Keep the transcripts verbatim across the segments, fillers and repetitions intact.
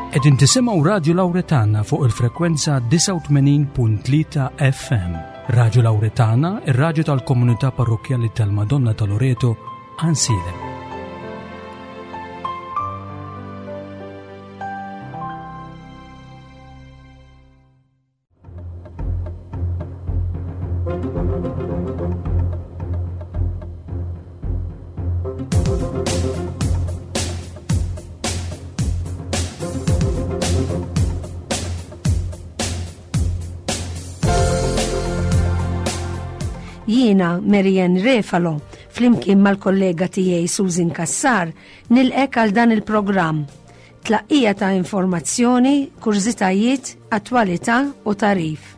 Qegħdin tisimgħu Radio Lauretana fuq il-frekwenza disgħa u tmenin punt tlieta F M. Radio Lauretana, ir-radju tal-komunità parrokjali tal-Madonna ta' Loreto, Għajnsielem. Jiena Marianne Refalo, flimkien mal-kollega tiegħi Susan Kassar, nilqgħek għal dan il-programm. Tlaqqija ta' informazzjoni, kurżitajiet, attwalità u tagħrif.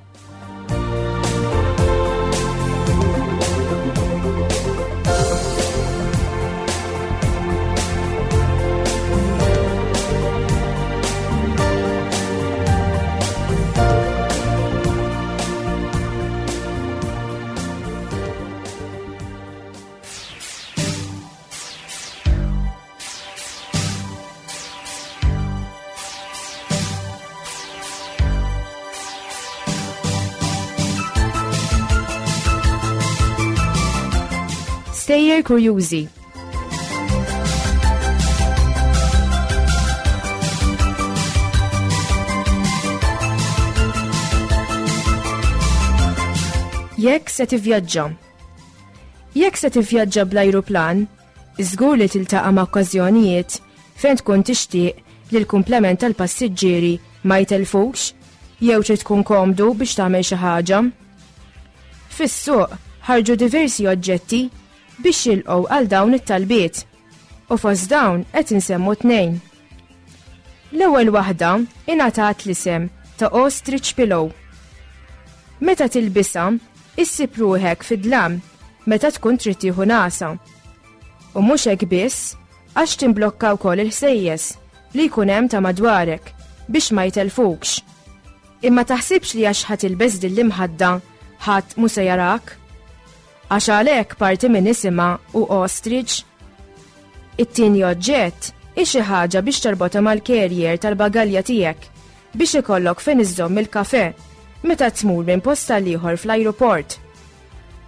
Stejjer kurjużi. Jekk se tivvjaġġa. Jekk se tivvjaġġa bl-ajruplan, żgur li tiltaqa' ma' okkażjonijiet fejn tkun tixtieq li l-kumplament tal-passiġġieri ma jtelfux jew trid tkun komdu biex tagħmel xi ħaġa. Fis-suq ħarġu diversi oġġetti biex jilqgħu għal dawn it-talbiet u fost dawn qed insemmu tnejn. L-ewwel waħda ingħatat l-isem ta' Ostrich Pillow. Meta tilbisha, issib ruħek fid-dlam meta tkun trid tieħu nagħsa. U mhux hekk biss, għax timblokka wkoll il-ħsejjes li jkun hemm ta' madwarek biex ma jtelfukx. Imma taħsibx li għax ħa tilbes din l-imħadda ħadd mhu se jarak. Għax għalhekk parti minn isimha hu ostrich. It-tieni oġġett hi xi ħaġa biex torbotha mal-carrier tal-bagalja tiegħek biex ikollok fejn iżżomm il-kafe meta tmur minn post għal ieħor fl-ajruport.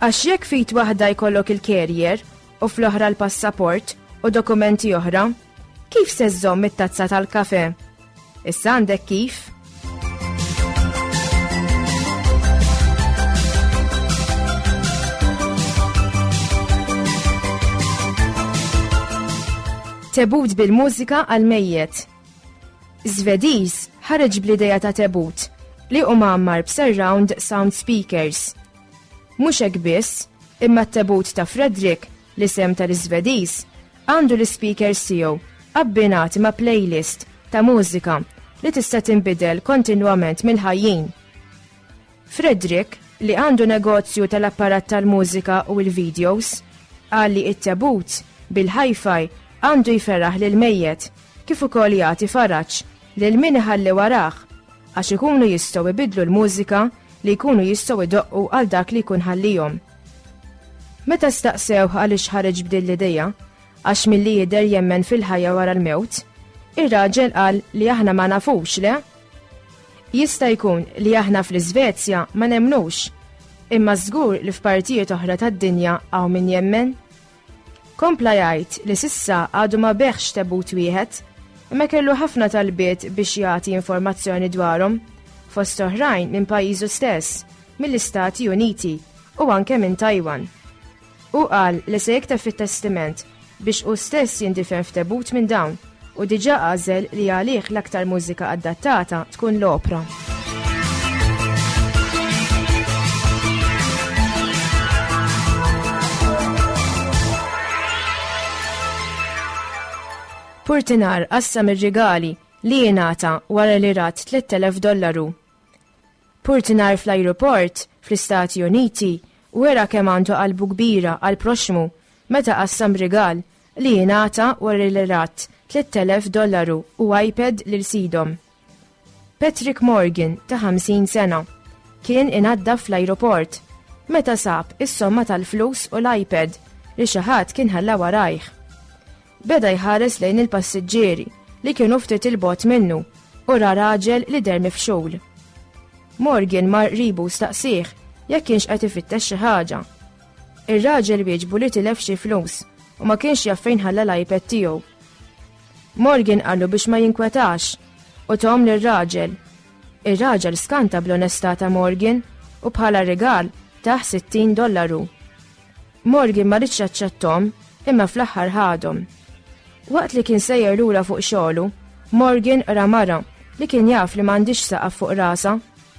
Għax jekk f'id waħda jkollok il-carrier u fl-oħra l-passaport u dokumenti oħra, kif se żżomm it-tazza tal-kafe? Issa għandek kif? Tebut bil-mużika għal-mejjet. Svediż ħareġ bl-ideja ta' tebut li hu mgħammar b'surround sound speakers. Mhux hekk biss, imma t-tebut ta' Frederick, l-isem tal-Svediż, għandu l-speakers tiegħu abbinati ma' playlist ta' mużika li tista' tinbidel kontinwament mill-ħajjin. Frederick, li għandu negozju tal-apparat tal-mużika u l-videos, qal li it-tebut bil-hi-fi għandu jferraħ lil mejjet kif ukoll jagħti faraġ lil min iħalli warah għax ikunu jistgħu jbidlu l-mużika li jkunu jistgħu jdoqqu għal dak li jkun ħallihom. Meta staqsew għaliex ħareġ b'din l-idea, għax milli jidher jemmen fil-ħajja wara l-mewt, ir-raġel qal li aħna ma nafux le. Jista' jkun li aħna fl-Iżvezja ma nemnux, imma żgur li f'partijiet oħra tad-dinja hawn min jemmen. Kompla jgħid li s'issa għadu ma biegħx tebut wieħed, imma kellu ħafna talbiet biex jagħti informazzjoni dwarhom, fost oħrajn minn pajjiżu stess, mill-Istati Uniti u anke minn Taiwan. U qal li se jikteb fit-testiment biex hu stess jindifen f'tebut minn dawn u diġà għażel li għalih l-aktar mużika adattata tkun l-opra. Purtinar qassam ir-rigali li jingħata wara li rat tliet elef dollaru. Purtinar fl-ajruport fl-Istati Uniti wera kemm għandu qalbu kbira għal proxmu meta qassam rigal li jingħata wara li rat tliet elef dollaru u iPad lil sidhom. Patrick Morgan ta' ħamsin sena kien inaddaf fl-ajruport meta sab is-somma tal-flus u l-iPad li xi ħadd kien ħalla warajh. Beda jħares lejn il-passiġġieri li kienu ftit il-bogħod minnu u ra raġel li deher mifxul. Morgan mar qribu staqsieh jekk kienx qed ifittex xi ħaġa. Ir-raġel wieġbu li tilef xi flus u ma kienx jaf fejn ħalla l-iPad tiegħu. Morgan qallu biex ma jinkwetax u tahom lir-raġel. Ir-raġel skanta bl-onestà ta' Morgan u bħala rigal tah sittin dollaru. Morgan ma ridx jaċċettom imma fl-aħħar ħadhom. Waqt li kien sejjer lura fuq xogħlu, Morgan ra mara li kien jaf li m'għandix saqaf fuq rasa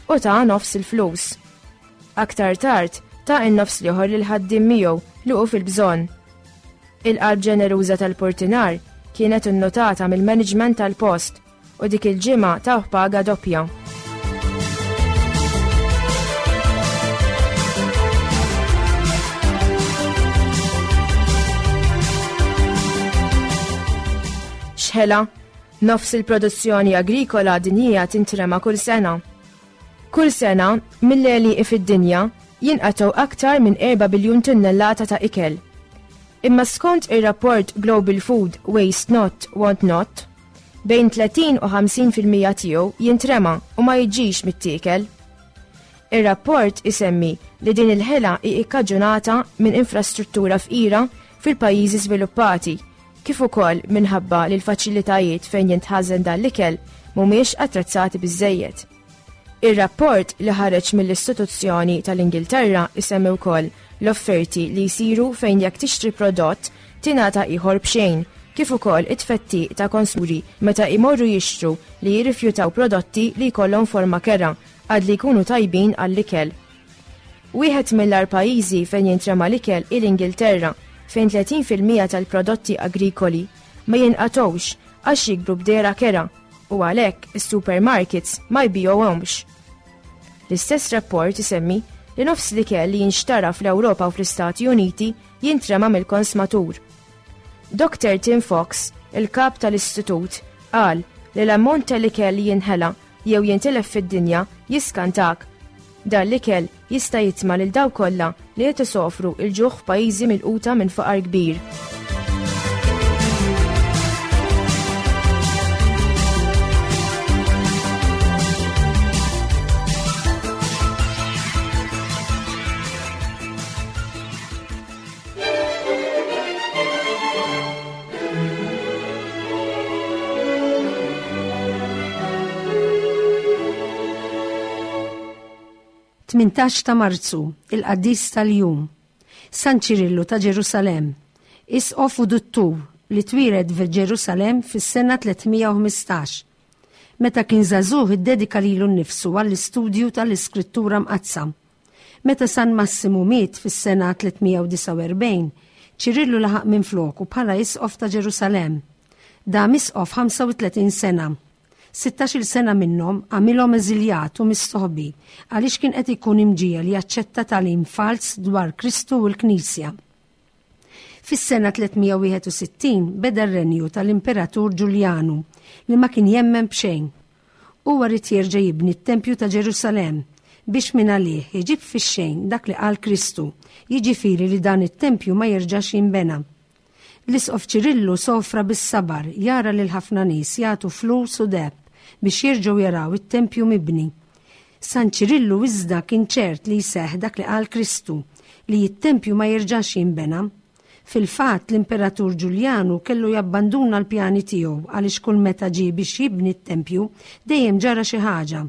u ta' nofs il-flus. Aktar tard ta' in-nofs l-ieħor lil ħaddiem miegħu li hu fil-bżonn. Il-qalb ġeneruża tal-portinar kienet innotata mill-management tal-post u dik il-ġimgħa tawh paga doppja. X'ħela, nofs il-produzzjoni agrikola dinjija tintrema kull sena. Kull sena, mill-għelieqi fid-dinja, jinqatgħu aktar minn erba' biljun tunnellata ta' ikel. Imma skont ir-rapport Global Food Waste Not Want Not, bejn tletin u ħamsin fil-mija tiegħu jintrema u ma jiġix mittiekel. Ir-rapport isemmi li din il-ħela hi ikkaġunata minn infrastruttura fqira fil-pajjiżi żviluppati, kif ukoll minħabba li l-faċilitajiet fejn jintħażen dan l-ikel mhumiex attrezzati biżżejjed. Ir-rapport li ħareġ mill-istituzzjoni tal-Ingilterra isemmi wkoll l-offerti li jsiru fejn jekk tixtri prodott tingħata ieħor b'xejn, kif ukoll it-tfettiq ta' konsumuri meta jmorru jixtru li jirrifjutaw prodotti li jkollhom forma kerha għad li jkunu tajbin għall-ikel. Wieħed mill-agħar pajjiżi fejn jintrema l-ikel hi l-Ingilterra, fejn tletin fil-mija tal-prodotti agrikoli ma jinqatgħux għax jikbru b'dehra kerha u għalhekk is-supermarkets ma jbigħuhomx. L-istess rapport isemmi li nofs l-ikel li jinxtara fl-Ewropa u fl-Istati Uniti jintrema mill-konsmatur. Doktor Tim Fox, il-kap tal-istitut, qal li l-ammont tal-ikel li jinħela jew jintilef fid-dinja jiskantak. Dan l-ikel jista' jitma' lil dawk kollha li qed isofru l-ġuħ f'pajjiżi milquta minn faqar kbir. Tmintax ta' Marzu, il-Qaddis tal-Jum, San Ċirillu ta' Ġerusalemm, isqof u duttur li twieled f'Ġerusalemm fis-sena tlietmija u ħmistax. Meta kien żagħżugħ iddedika lilu nnifsu għall-istudju tal-Iskrittura Mqaddsa. Meta San Massimu miet fis-sena tlietmija u disgħa u erbgħin, Ċirillu laħaq minfloku bħala isqof ta' Ġerusalemm. Dam isqof ħamsa u tletin sena. Sittax-il sena minnhom għamilhom eżiljat u mistoħbi għaliex kien qed ikun imġiegħel jaċċetta tagħlim fals dwar Kristu u l-Knisja. Fis-sena tlietmija u wieħed u sittin beda r-renju tal-Imperatur Ġuljanu li ma kien jemmen b'xejn. Huwa ried jerġa' jibni t-Tempju ta' Ġerusalemm biex minn għalih iġib fix-xejn dak li qal Kristu, jiġifieri li dan it-tempju ma jerġax jinbena. L-Isqof Ċirillu sofra bis-sabar jara lil ħafna nies jagħtu flus u deheb biex jerġgħu jaraw it-tempju mibni. San Ċirillu iżda kien ċert li jseħħ dak li qal Kristu, li t-tempju ma jerġax jinbena. Fil-fatt l-Imperatur Ġuljanu kellu jabbanduna l-pjani tiegħu għaliex kull meta ġie biex jibni t-tempju dejjem ġara xi ħaġa.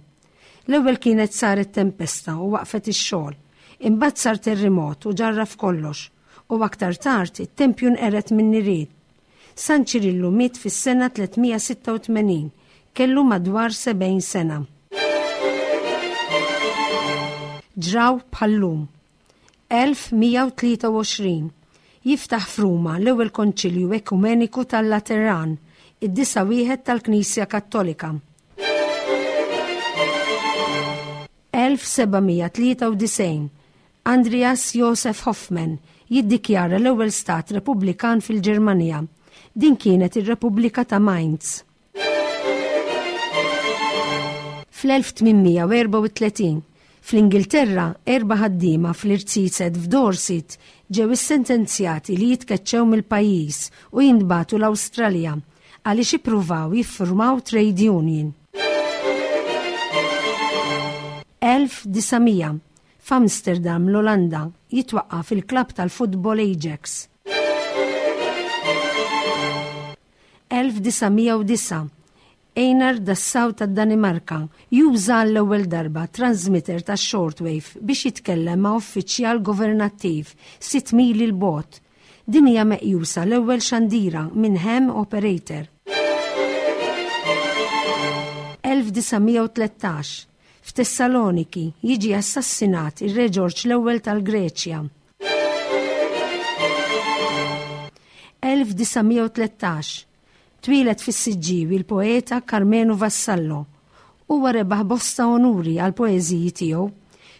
L-ewwel kienet saret tempesta u waqfet ix-xogħol, imbagħad sar terremot u ġarraf kollox, u aktar tard it-tempju nqered minn nirien. San Ċirillu miet fis-sena tlietmija sitta u tmenin, kellu madwar sebgħin sena. Ġraw bħal-lum. elf mija u tlieta u għoxrin jiftaħ f'Ruma l-ewwel Konċilju Ekumeniku tal-Lateran, id-disa' wieħed tal-Knisja Kattolika. elf seba' mija tlieta u disgħin Andreas Josef Hoffmann jiddikjara l-ewwel stat Repubblikan fil-Ġermanja. Din kienet ir-Repubblika ta' Mainz. Fl-elf tmienmija u erbgħa u tletin, fl-Ingilterra, erba' ħaddiema fl-irziezet f'Dorset ġew issentenzjati li jitkeċċew mill-pajjiż u jintbagħtu l-Awstralja għaliex ippruvaw jiffurmaw trade union. elf disa' mija, F'Amsterdam, l-Olanda, jitwaqqaf il-klabb tal-futbol Ajax. elf disa' mija u disgħa, Einar Dassaw tad-Danimarka juża l-ewwel darba transmitter ta' shortwave biex jitkellem ma' uffiċjal governattiv sitt mili 'l bogħod. Din hija meqjusa l-ewwel xandira minn ham operator. elf disa' mija u tlettax, F'Tessaloniki jiġi assassinat ir-Re Ġorġ l-Ewwel tal-Greċja. elf disa' mija u tlettax, Twieled fis-Siġġiewi l-poeta Karmenu Vassallo. Huwa rebaħ bosta onuri għal poeżiji tiegħu.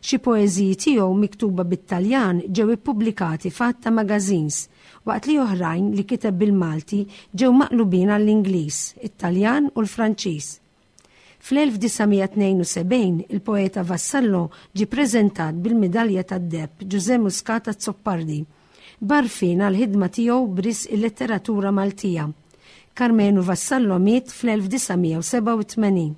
Xi poeżiji tiegħu miktuba bit-Taljan ġew ippubblikati f'għadd ta' magazines, waqt li oħrajn li kiteb bil-Malti ġew maqlubin għall-Ingliż, it-Taljan u l-Franċiż. Fl-elf disa' mija tnejn u sebgħin il-poeta Vassallo ġie preżentat bil-midalja tad-deheb Ġużè Muscat Azzopardi, b'għarfien għall-ħidma tiegħu b'risq il-letteratura Maltija. Karmenu Vassallo miet fl-elf disa' mija u sebgħa u tmenin.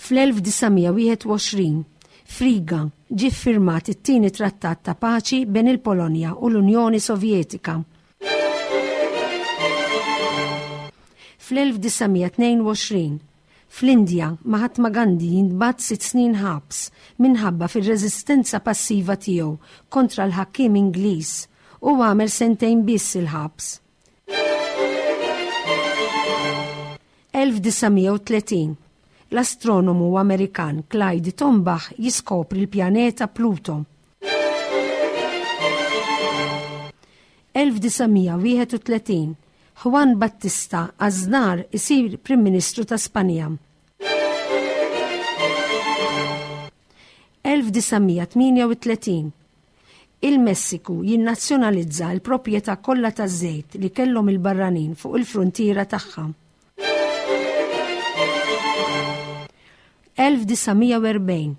Fl-elf disa' mija wieħed u għoxrin, F'Riga ġie ffirmat it-tieni trattat ta' paċi bejn il-Polonja u l-Unjoni Sovjetika. Fl-elf disa' mija tnejn u għoxrin, fl-Indja, Mahatma Gandhi jintbagħat sitt snin ħabs minħabba fir-reżistenza passiva tiegħu kontra l-ħakkiem Ingliż u għamel sentejn biss il-ħabs. elf disa' mija u tletin, L-astronomu Amerikan Clyde Tombaugh jiskopri l-pjaneta Pluto. elf disa' mija wieħed u tletin, Juan Battista Aznar isir Prim Ministru ta' Spanja. elf disa' mija tmienja u tletin, Il-Messiku jinnazzjonalizza l-proprjetà kollha taż-żejt li kellhom il-barranin fuq il-fruntiera tagħha. elf disa' mija u erbgħin,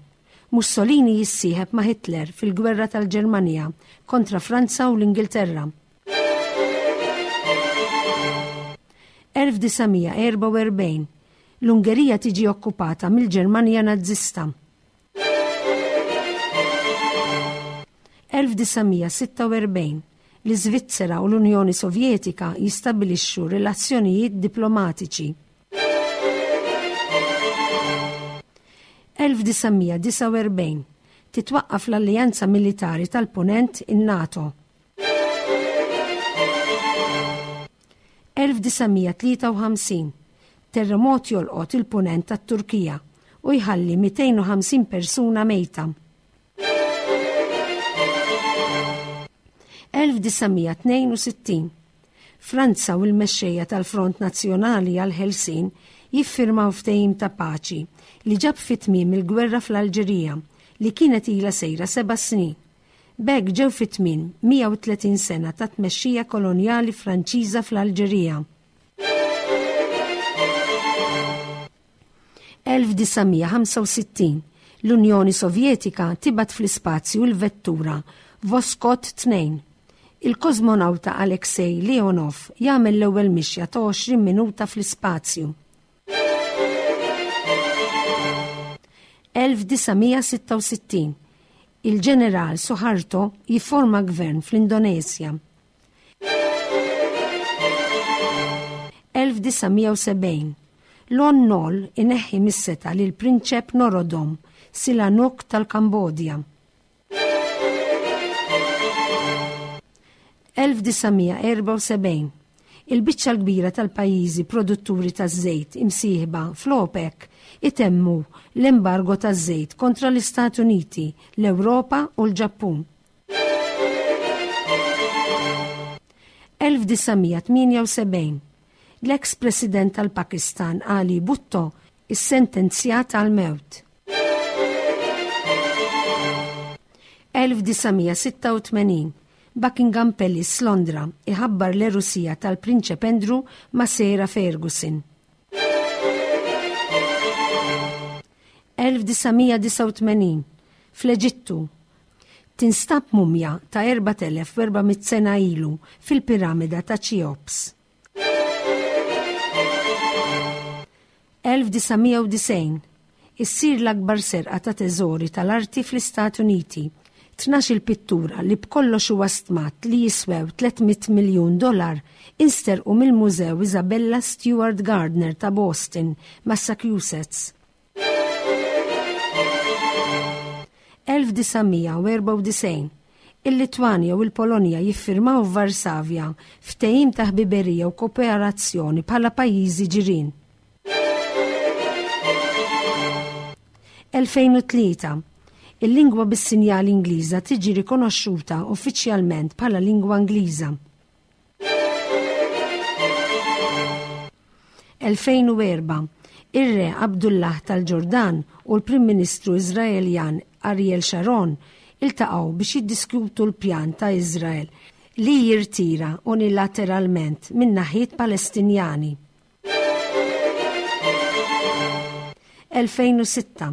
Mussolini jissieħeb ma' Hitler fil-gwerra tal-Ġermanja kontra Franza u l-Ingilterra. elf disa' mija erbgħa u erbgħin, L-Ungerija tiġi okkupata mill-Ġermanja Nazzista. elf disa' mija sitta u erbgħin, L-Iżvizzera u l-Unjoni Sovjetika jistabbilixxu relazzjonijiet diplomatiċi. elf disa' mija disgħa u erbgħin, Titwaqqaf l-Alleanza Militari tal-Punent, in-NATO. elf disa' mija tlieta u ħamsin, Terremot jolqot il-punent tat-Turkija u jħalli mitejn u ħamsin persuna mejta. elf disa' mija tnejn u sittin, Franza u l-mexxejja tal-Front Nazzjonali għal-Ħelsien jiffirmaw ftehim ta' paċi li ġab fi tmiem il-gwerra fl-Alġerija li kienet ilha sejra seba' snin. B'hekk ġew fi tmiem mija u tletin sena ta' tmexxija kolonjali Franċiża fl-Alġerija. elf disa' mija ħamsa u sittin, L-Unjoni Sovjetika tibgħat fl-ispazju l-vettura Voskhod tnejn. Il-kosmonawta Alexei Leonov jagħmel l-ewwel mixja ta' għoxrin minuta fl-ispazju. elf disa' mija sitta u sittin, Il-ġeneral Suharto jifforma gvern fl-Indonesja. elf disa' mija u sebgħin, Lon Nol ineħħi mis-setgħa lil Prinċep Norodom Sihanouk tal-Kambodja. elf disa' mija erbgħa u sebgħin, Il-biċċa l-kbira tal-pajjiżi produtturi taż-żejt imsieħba fl-OPEC itemmu l-embargo taż-żejt kontra l-Istati Uniti, l-Ewropa u l-Ġappun. elf disa' mija tmienja u sebgħin, L-eks President tal-Pakistan Ali Bhutto issentenzjat għal-mewt. elf disa' mija sitta u tmenin, Buckingham Palace, Londra, iħabbar l-għerusija tal-Prinċep Andrew ma' Sarah Ferguson. elf disa' mija disgħa u tmenin, Fl-Eġittu tinstab mumja ta' erbat elef u erba' mitt sena ilu fil-piramida ta' Cheops. elf disa' mija u disgħin. Issir l-akbar serqa ta' teżori tal-arti fl-Istati Uniti. Tnax-il pittura li b'kollox huwa stmat li jiswew tliet mitt miljun dollar insterqu mill-Mużew Isabella Stewart Gardner ta' Boston, Massachusetts. elf disa' mija u erbgħa u disgħin. Il-Litwanja u l-Polonja jiffirmaw f'Varsavja ftehim ta' ħbiberija u kooperazzjoni bħala pajjiżi ġirien. elfejn u tlieta. Il-lingwa bis-sinjali Ingliża tiġi rikonoxxuta uffiċjalment bħala lingwa Ingliża. elfejn u erba'. Ir-Re Abdullah tal-Ġordan u l-Prim Ministru Iżraeljan Ariel Sharon iltaqgħu biex jiddiskutu l-pjan ta' Iżrael li jirtira unilateralment minn naħiet Palestinjani. elfejn u sitta.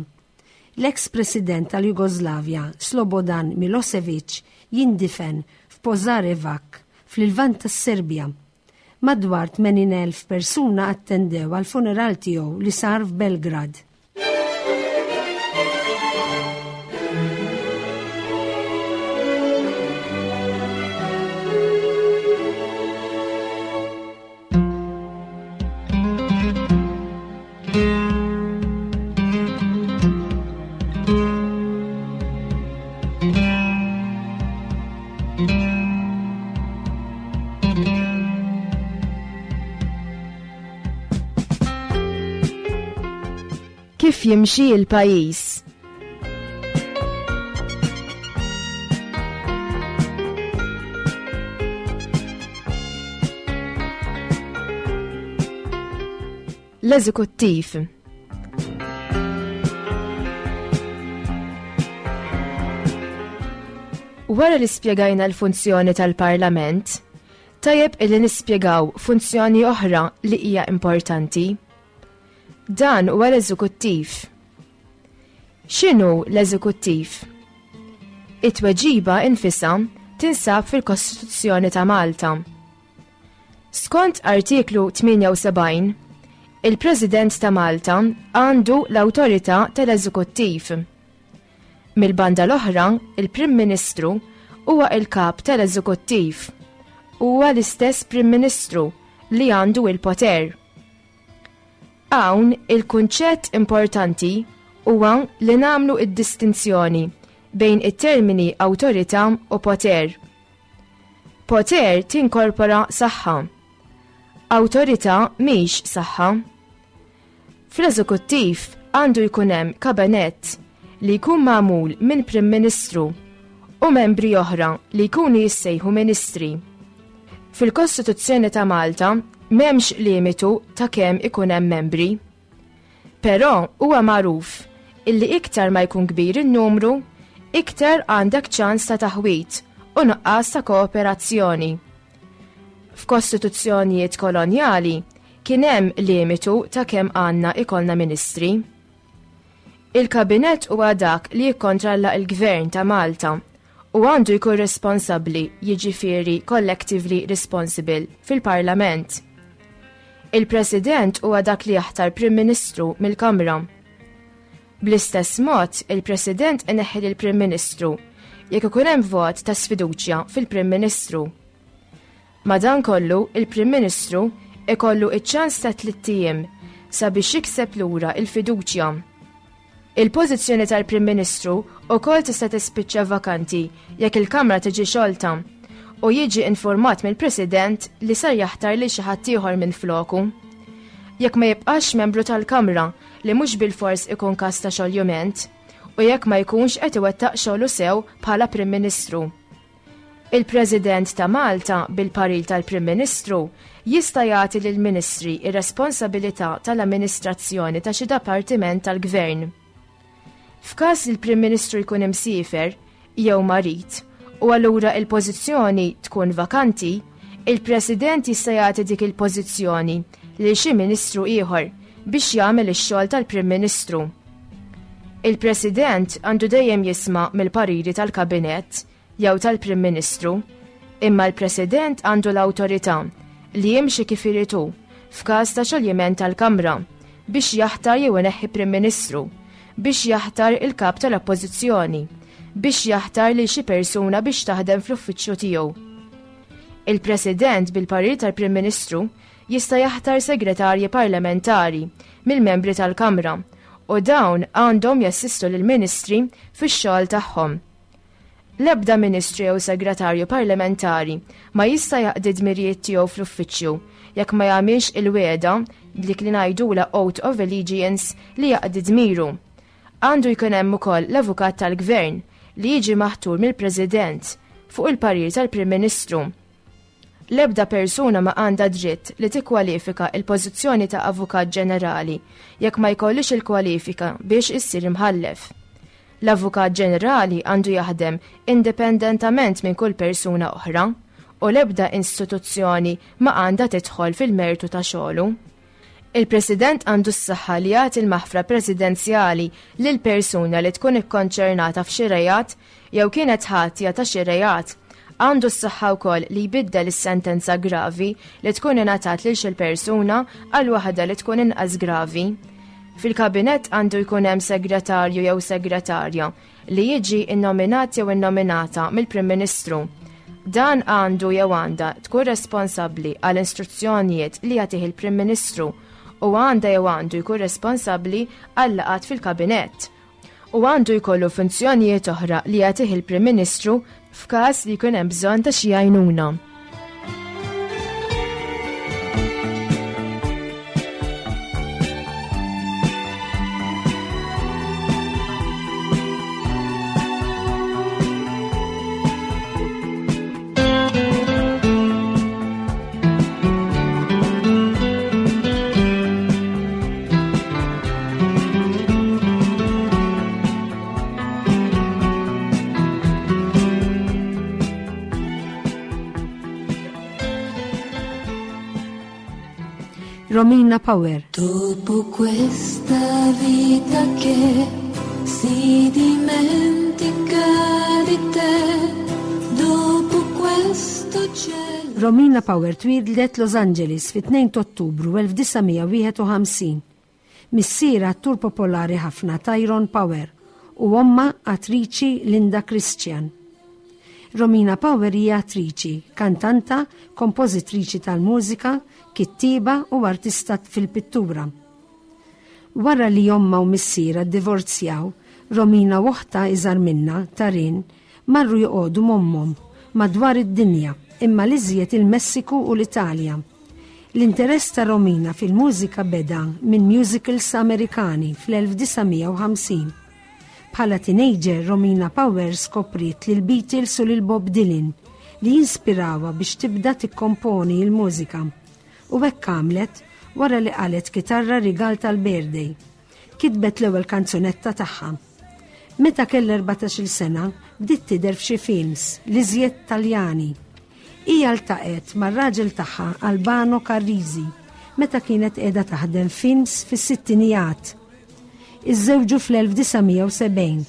L-eks President tal-Jugoslavja Slobodan Milosevic jindifen f'Požarevac fl-Lvant tas-Serbja. Madwar tmenin elf persuna attendew għal funeral tiegħu li sar f'Belgrad. Kif jimxi l-pajjiż? L-eżekuttiv. Wara li spjegajna l-funzjoni tal-Parlament, tajjeb illi nispjegaw funzjoni oħra li hija importanti. Dan huwa l-eżekuttiv. X'inhu l-eżekuttiv? It-tweġiba infisha tinsab fil-Kostituzzjoni ta' Malta. Skont artiklu tmienja u sebgħin, il-President ta' Malta għandu l-awtorità tal-eżekuttiv. Mill-banda l-oħra, il-Prim Ministru huwa il-kap tal-eżekuttiv. Huwa l-istess Prim Ministru li għandu il-poter. Hawn il-kunċett importanti huwa li nagħmlu id-distinzjoni bejn it-termini awtorità u poter. Poter tinkorpora saħħa. Awtorità mhix saħħa. Fl-eżekuttiv għandu jkun hemm kabinett li jkun magħmul minn Prim Ministru u membri oħra li jkunu jissejħu ministri. Fil-Kostituzzjoni ta' Malta m'hemmx limitu ta' kemm ikun hemm membri. Però huwa magħruf illi iktar ma jkun kbir in-numru, iktar għandek ċans ta' taħwit u nuqqas ta' kooperazzjoni. F'kostituzzjonijiet kolonjali kien hemm limitu ta' kemm għandna ikollna ministri. Il-kabinett huwa dak li jikkontrolla l-Gvern ta' Malta u għandu jkun responsabbli, jiġifieri collectively responsible, fil-Parlament. Il-President huwa dak li jaħtar Prim Ministru mill-Kamra. Bl-istess mod, il-President ineħħi lill-Prim Ministru jekk ikun hemm vot ta' sfiduċja fil-Prim Ministru. Madankollu, il-Prim Ministru ikollu iċ-ċans ta' tliet ijiem sabiex jikseb lura il-fiduċja. Il-pożizzjoni tal-Prim Ministru wkoll tista' tispiċċa vakanti jekk il-Kamra tiġi xolta u jiġi informat mill-President li sar jaħtar lil xi ħadd ieħor minn floku. Jekk ma jibqax membru tal-Kamra li mhux bilfors ikun każ ta' xoljument u jekk ma jkunx qed iwettaq xogħlu sew bħala Prim Ministru. Il-President ta' Malta bil-paril tal-Prim Ministru jista' jagħti lill-Ministri ir-responsabilità tal-amministrazzjoni ta' xi dipartiment tal-Gvern. F'każ li l-Prim Ministru jkun imsiefer jew marid u allura il-pożizzjoni tkun vakanti, il-President jista' jagħti dik il-pożizzjoni lil xi ministru ieħor biex jagħmel ix-xogħol tal-Prim Ministru. Il-President għandu dejjem jisma' mill-pariri tal-Kabinett jew tal-Prim Ministru, imma l-President għandu l-awtorità li jimxi kif irid hu f'każ ta' xoljiment tal-Kamra biex jaħtar jew ineħħi Prim Ministru, biex jaħtar il-kap tal-Oppożizzjoni, biex jaħtar lil xi persuna biex taħdem fl-uffiċċju tiegħu. Il-President bil-parir tal-Prim Ministru jista' jaħtar segretarji parlamentari mill-membri tal-Kamra u dawn għandhom jassistu lill-ministri fix-xogħol tagħhom. L-ebda ministru jew segretarju parlamentari ma jista' jaqdi dmirijiet tiegħu fl-uffiċċju jekk ma jagħmilx il-wegħda dik li ngħidulha oath of allegiance li jaqdi dmiru. Għandu jkun hemm ukoll l-avukat tal-gvern li jiġi maħtur mill-President fuq il-parir tal-Prim Ministru. L-ebda persuna ma għandha dritt li tikkwalifika il-pożizzjoni ta' avukat ġenerali jekk ma jkollix il-kwalifika biex issir imħallef. L-avukat ġenerali għandu jaħdem indipendentament minn kull persuna oħra u l-ebda istituzzjoni ma għandha tidħol fil-mertu ta' xogħlu. Il-President għandu s-saħħa li jagħti l-maħfra presidenzjali lil persuna li tkun ikkonċernata f'xi reat jew kienet ħatja ta' xi reat. Għandu s-saħħa wkoll li jbiddel is-sentenza gravi li tkun ingħatat lil xi persuna għal waħda li tkun inqas gravi. Fil-kabinett għandu jkun hemm segretarju jew segretarja li jiġi innominat jew innominata mill-Prim Ministru. Dan għandu jew għandha tkun responsabbli għal istruzzjonijiet li jagħtih il-Prim Ministru u għandha jew għandu jkun responsabbli għal laqgħat fil-kabinett u għandu jkollu funzjonijiet oħra li jagħtih il-Prim Ministru f'każ li jkun hemm bżonn ta' xi għajnuna. Romina Power. Dopo questa vita che si dimentica di te, dopo questo cielo. Romina Power twieldet Los Angeles fit-tnejn ta' Ottubru elf disa' mija wieħed u ħamsin. Missiera attur popolari ħafna Tyrone Power u omma attriċi Linda Christian. Romina Power hija attriċi, kantanta, kompożitriċi tal-mużika, kittieba u artista fil-pittura. Wara li omma u missiera ddivorzjaw, Romina u oħtha iżgħar minnha, Tarin, marru joqogħdu m'ommhom madwar id-dinja, imma l-iżjed il-Messiku u l-Italja. L-interess ta' Romina fil-mużika beda minn musicals Amerikani fl-elf disa' mija u ħamsin. Bħala teenager, Romina Power skopriet lil Beatles u lil Bob Dylan li jinspirawha biex tibda tikkomponi l-mużika. U hekk għamlet wara li qalet kitarra rigal tal-birthday. Kitbet l-ewwel kanzunetta tagħha. Meta kellha erbatax-il sena, bdiet tidher f'xi films, l-iżjed Taljani. Hija ltaqgħet mar-raġel tagħha Albano Carrisi meta kienet qiegħda taħdem films fis-sittinijat. Iżżewġu fl-elf disa' mija u sebgħin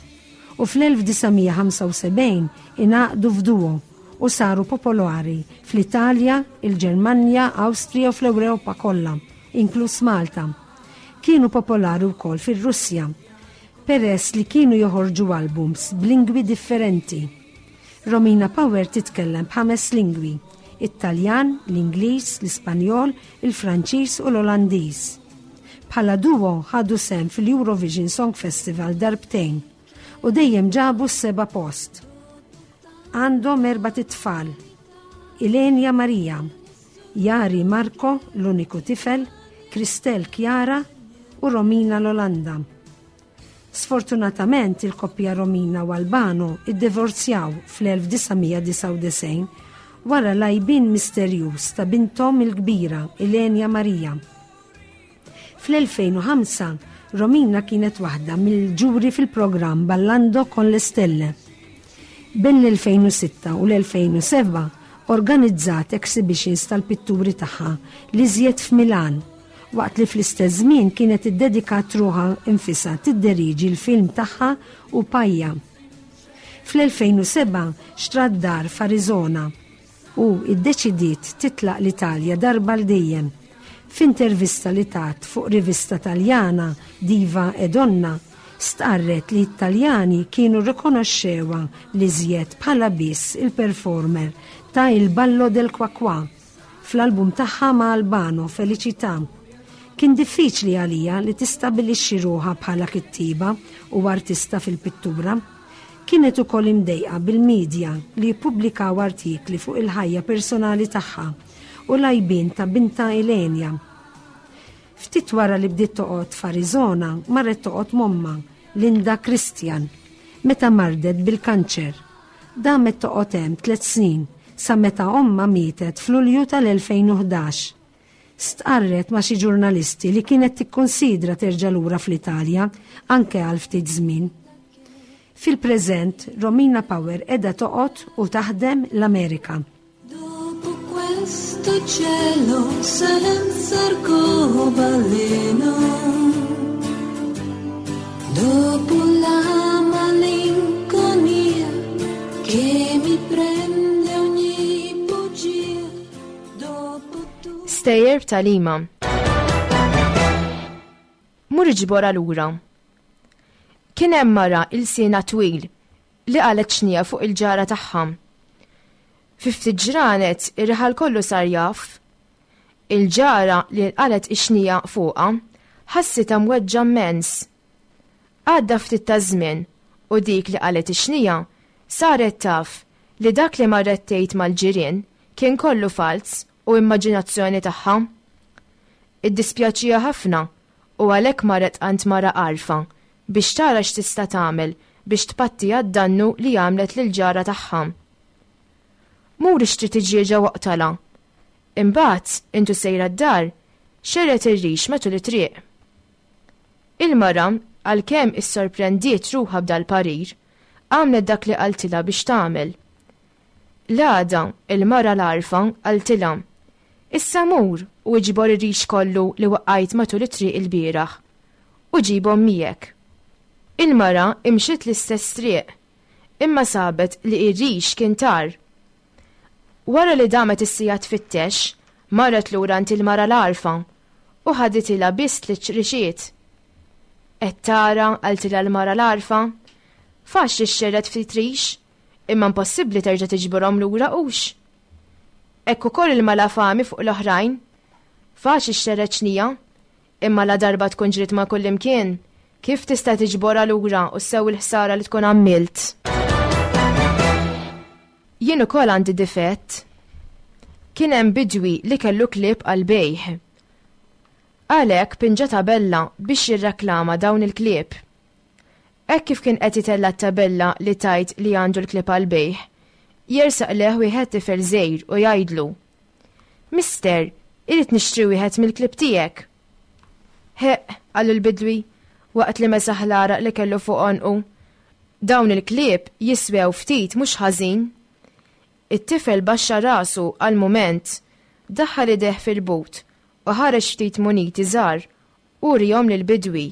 u fl-elf disa' mija ħamsa u sebgħin ingħaqdu f'duo u saru popolari fl-Italja, il-Ġermanja, Awstrija u fl-Ewropa kollha, inkluż Malta. Kienu popolari wkoll fir-Russja, peress li kienu joħorġu albums b'lingwi differenti. Romina Power titkellem b'ħames lingwi: it-Taljan, l-Ingliż, l-Ispanjol, il-Franċiż u l-Olandiż. Bħala duo ħadu sehem fil-Eurovision Song Festival darbtejn u dejjem ġabu s-seba' post. Għandhom erbat itfal: Ilenia Maria, Jari Marco, l-uniku tifel, Christel Chiara u Romina l-Olanda. Sfortunatament il-koppja Romina u Albano iddivorzjaw fl-elf disa' mija disgħa u disgħin wara l-għajbien misterjuż ta' binthom il-kbira Ilenia Maria. Fl-elfejn u ħamsa Romina kienet waħda mill-ġuri fil-programm Ballando con le Stelle. Bejn l-elfejn u sitta u l-elfejn u seba' organizzat exhibitions tal-pitturi tagħha li żjed f'Milan, waqt li fl-istess żmien kienet iddedikat ruħha infisha tidderiġi l-film tagħha u Pajja. Fl-elfejn u seba' xtrat dar f'Arizona u iddeċidiet titlaq l-Italja darba l dejjem, F'intervista li tat fuq rivista Taljana Diva e Donna, stqarret li t-Taljani kienu rikonoxxewha l-iżjed bħala biss il-performer ta' Il Ballo del Qua Qua fl-album tagħha ma' Albano Felicità. Kien diffiċli għalija li tistabilixxi ruħha bħala kittiba u artista fil-pittura. Kienet ukoll imdejqa bil-medja li jippubblikaw artikli fuq il-ħajja personali tagħha u l-għajbien ta' bintha Ilenia. Ftit wara li bdiet toqgħod f'Arizona, marret toqgħod m'ommha, Linda Christian, meta mardet bil-kanċer. Damet toqgħod hemm tliet snin sa meta ommha mietet f'Lulju tal-elfejn u ħdax. Stqarret ma' xi ġurnalisti li kienet tikkonsidra terġa' lura fl-Italja anke għal ftit żmien. Fil-preżent, Romina Power qiegħda toqgħod u taħdem l-Amerika. Dopo questo cielo senza arcobaleno, dopo la malinconia che mi prende ogni bugia, dopo tu. Stejjer b'tagħlima. Mur iġbora lura. Kien hemm mara ilsienha twil li qalet xnija fuq il-ġara tagħha. Fi ftit ġranet ir-raħal kollu sar jaf. Il-ġara li qalet ix-xnija fuqha ħassitha mweġġa immens. Għadda ftit ta' żmien u dik li qalet ix-xnija saret taf li dak li marret tgħid mal-ġirien kien kollu falz u immaġinazzjoni tagħha. Iddispjaċija ħafna u għalhekk marret għand mara għarfa biex tara x'tista' tagħmel biex tpatti għad-dannu li għamlet lil-ġara tagħha. Mur ixtri tiġieġa waqtala. Imbagħad intu sejra d-dar, xerret ir-rix matul it-triq. Il-mara, għalkemm issorprendiet ruħha b'dal-parir, għamlet dak li qaltilha biex tagħmel. L-għada, il-mara l-għarfa qaltilha, Issa mur u iġbor ir-rix kollu li waqqajt matul it-triq il-bieraħ u ġibhom miegħek. Il-mara imxiet l-istess triq, imma sabet li ir-rix kien tar. Wara li damet is-sija tfittex, marret lura għand il-mara l-għarfa u ħaditilha biss tliet rixiet. Qed tara, qaltilha l-mara l-għarfa, faċli xxerred ftit rix, imma impossibbli terġa' tiġborhom lura hux. Hekk ukoll il-malafami fuq l-oħrajn, faċli xxerred xnija, imma la darba tkun ġriet ma' kullimkien, kif tista' tiġborha lura u ssew il-ħsara li tkun għamilt? Jien ukoll għandi difett. Kien hemm bidwi li kellu klieb għal bejħ. Għalhekk pinġa tabella biex jirreklama dawn il-klieb. Hekk kif kien qed itella' t-tabella li tajt li għandu l-klieb għal bejħ, jersaq leh wieħed tifel żgħir u jgħidlu: Mister, irrid nixtri wieħed mill-klieb tiegħek. Heq, qallu l-bidwi, waqt li mesaħ l-għaraq li kellu fuq għonqu. Dawn il-klieb jiswew ftit mhux ħażin. It-tifel baxxa rasu għal mument, daħħal ideh fil-but u ħareġ ftit muniti żgħar u rihom lill-bidwi.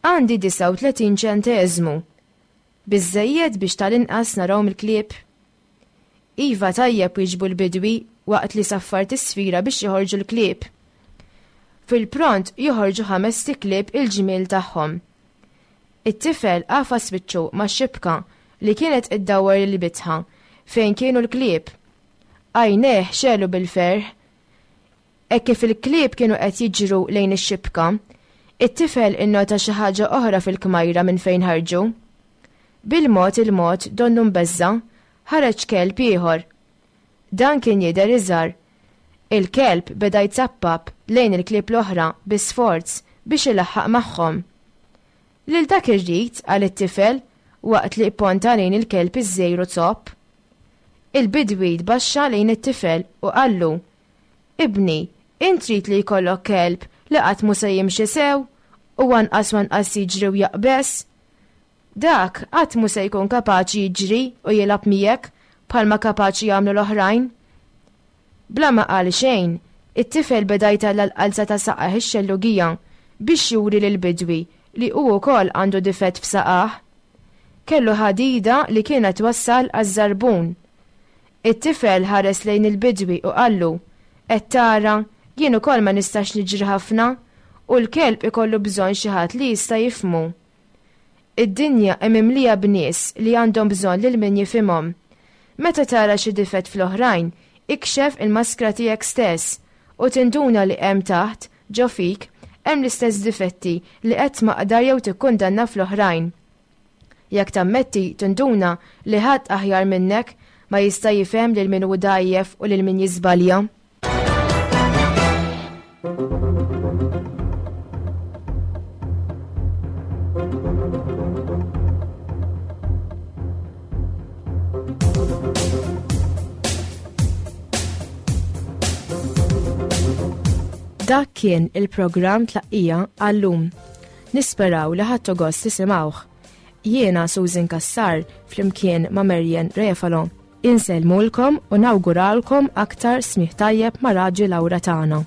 Għandi disgħa u tletin ċenteżmu. Biżżejjed biex tal-inqas narawhom il-klieb. Iva tajjeb, wieġbu l-bidwi waqt li saffar tisfira biex joħorġu l-klieb. Fil-pront joħorġu ħames klieb il-ġmiel tagħhom. It-tifel qafas wiċċu ma' xibka li kienet iddawwar il-bitħa fejn kienu l-klieb. Għajnejh xelu bil-ferħ. Hekk kif il-klieb kienu qed jiġru lejn ix-xibka, it-tifel innota xi ħaġa oħra fil-kmajra minn fejn ħarġu. Bil-mod il-mod donnu mbeżza, ħareġ kelb ieħor. Dan kien jidher iżgħar. Il-kelb beda jzappap lejn il-klieb l-oħra bi sforz biex ilaħħaq magħhom. Lil dak irrid, qal it-tifel waqt li pponta lejn il-kelb iż-żgħir u zopp. Il-bidwi tbaxxa lejn it-tifel u qallu: Ibni, int trid li jkollok kelb li qatt mhu se jimxi sew u anqas u anqas jiġri u jaqbeż? Dak qatt mhu se jkun kapaċi jiġri u jilgħab miegħek bħalma kapaċi jagħmlu l-oħrajn. Bla ma qal xejn, it-tifel beda jtella' l-qalza ta' saqajh ix-xellugija biex juri lill-bidwi li hu wkoll għandu difett f'saqajh. Kellu ħadida li kienet twassal għaż-żarbun. It-tifel ħares lejn il-bidwi u qallu: Qed tara Jien ukoll ma nistax niġri ħafna u l-kelb ikollu bżonn xi ħadd li jista' jifhmu. Id-dinja hemm mimlija b'nies li għandhom bżonn lil min jifhimhom. Meta tara xi difett fl-oħrajn, ikxef il-maskra tiegħek stess u tinduna li hemm taħt, ġo fik, hemm l-istess difetti li qed tmaqdar jew tikkundanna fl-oħrajn. Jekk tammetti tinduna li ħadd aħjar minnek ma jista' jifhem lil min hu dgħajjef u lil min jiżbalja. Dak kien il-programm Tlaqqija għal-lum. Nisperaw li ħadtu gost tisimgħuh. Jiena Susan Cassar flimkien ma' Marian Refalo. Insellmulkom u nawguralkom aktar smigħ tajjeb ma' Raġi Lawra tagħna.